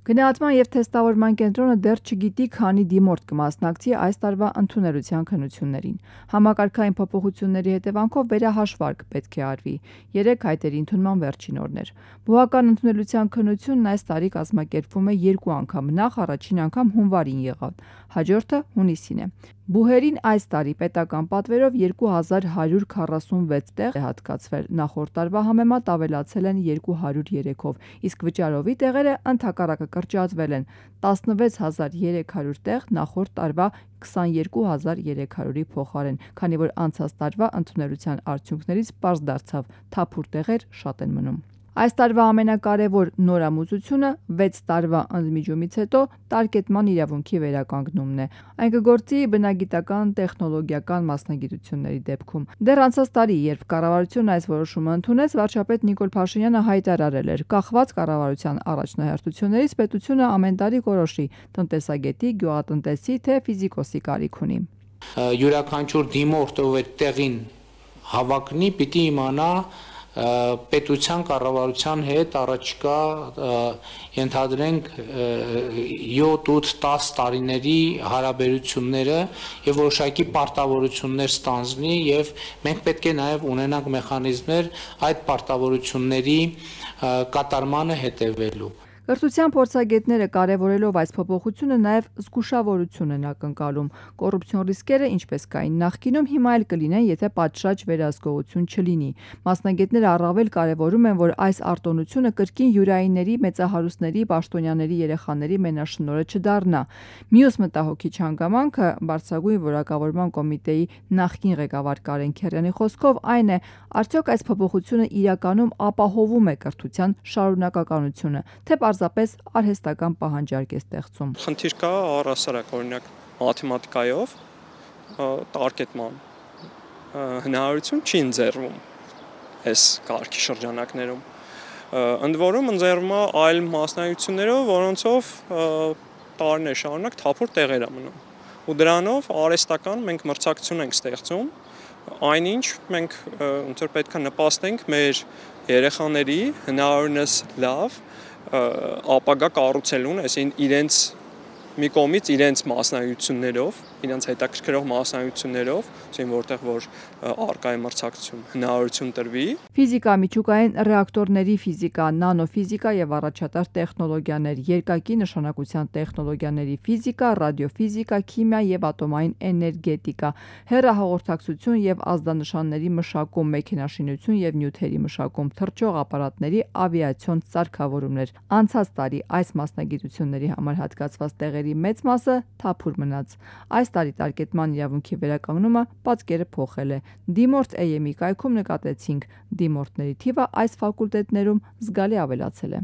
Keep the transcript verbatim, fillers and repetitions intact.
Գնահատման և թեստավորման կենտրոնը դեռ չգիտի քանի դիմորդ կմասնակցի այս տարվա ընդունելության քննություններին։ Համակարգային փոփոխությունների հետևանքով վերահաշվարկ պետք է արվի։ Երեք հայտերի ընդունման վերջին օրն էր։ Բուհական ընդունելության քննությունն այս տարի կազմակերպվում է երկու անգամ, նախ առաջին անգամ հունվարին եղավ, հաջորդը հունիսին է։ Բուհերին այս տարի պետական պատվերով երկու հազար հարյուր քառասունվեց տեղ է հատկացվել, նախորդ տարվա համեմատ ավելացել են երկու հարյուր երեքով, իսկ վճարովի տեղերը ընդհակառակը կրճատվել են տասնվեց հազար երեք հարյուր տեղ նախորդ տարվա քսաներկու հազար երեք հարյուրի փոխարեն, քանի որ անցած տարվա ընդունելության արդյունքներից պարզ դարձավ՝ թափուր տեղեր շատ են մնում։ Այս տարվա ամենակարևոր նորամուծությունը վեց տարվա ընդմիջումից հետո տարկետման իրավունքի վերականգնումն է։ Այն կգործի բնագիտական տեխնոլոգիական մասնագիտությունների դեպքում։ Դեռ անցած տարի, երբ կառավարությունն այս որոշումը ընդունեց, վարչապետ Նիկոլ Փաշինյանը հայտարարել էր՝ կախված կառավարության առաջնահերթություններից պետությունը ամեն տարի կորոշի տնտեսագետի, գյուղատնտեսի, թե ֆիզիկոսի կարիք ունի։ Յուրաքանչյուր դիմորդ, ով այդ տեղին հավակնի, պիտի իմանա պետության կառավարության հետ առաջիկա ենթադրենք յոթ ութ դաս տարիների հարաբերությունները եւ որոշակի պարտավորություններ ստանձնի եւ մենք պետք է նաեւ ունենանք մեխանիզմներ այդ պարտավորությունների կատարմանը հետևելու։ Կրթության փորձագետները կարևորելով այս փոփոխությունը նաև զգուշավորություն են ակնկալում։ Կոռուպցիոն ռիսկերը, ինչպես կային նախկինում, հիմա էլ կլինեն, եթե պատշաճ վերահսկողություն չլինի։ Մասնագետները առավել կարևորում են, որ այս արտոնությունը կրկին յուրայինների, մեծահարուստների, պաշտոնյաների երեխաների մենաշնորհը չդառնա։ Մյուս մտահոգիչ հանգամանքը բարձրագույն որակավորման կոմիտեի նախկին ղեկավար Կարեն Քերյանի խոսքով այն է, արդյոք այս փոփոխությունը իրականում ապահովում է կրթության շարունակականությունը, թե պարզապես արհեստական պահանջարկ է ստեղծում։ Խնդիր կա առհասարակ, օրինակ մաթեմատիկայով տարկետման հնարավորություն չի ընձեռվում այս կարգի շրջանակներում։ Ընդ որում ընձեռվում է այլ մասնագիտություններով, որոնցով տարիներ շարունակ թափուր տեղեր է մնում։ Ու դրանով արհեստական մենք մրցակցություն ենք ստեղծում, այնինչ մենք ոնց որ պետք է նպաստենք մեր երեխաների հնարավորինս լավ ապագա կառուցելուն, այսին իրենց մի կողմից իրենց մասնագիտություններով, իրենց հետաքրքրող մասնագիտություններով, ասեն որտեղ որ արկա է մրցակցություն, հնարավորություն տրվի։ Ֆիզիկա, միջուկային ռեակտորների ֆիզիկա, նանոֆիզիկա եւ առաջատար տեխնոլոգիաներ, երկակի նշանակության տեխնոլոգիաների ֆիզիկա, ռադիոֆիզիկա, քիմիա եւ ատոմային էներգետիկա, հեռահաղորդակցություն եւ ազդանշանների մշակում, մեքենաշինություն եւ նյութերի մշակում, թռչող ապարատների ավիացիոն սարքավորումներ։ Անցած տարի այս մասնագիտությունների համար հատկացված տեղերի մեծ մասը թափուր մնաց։ Այս տարի տարկետման իրավունքի վերականգնումը պատկերը փոխել է։ Դիմորդ Է Էմ ի կայքում նկատեցինք՝ դիմորդների թիվը այս ֆակուլտետներում զգալի ավելացել է։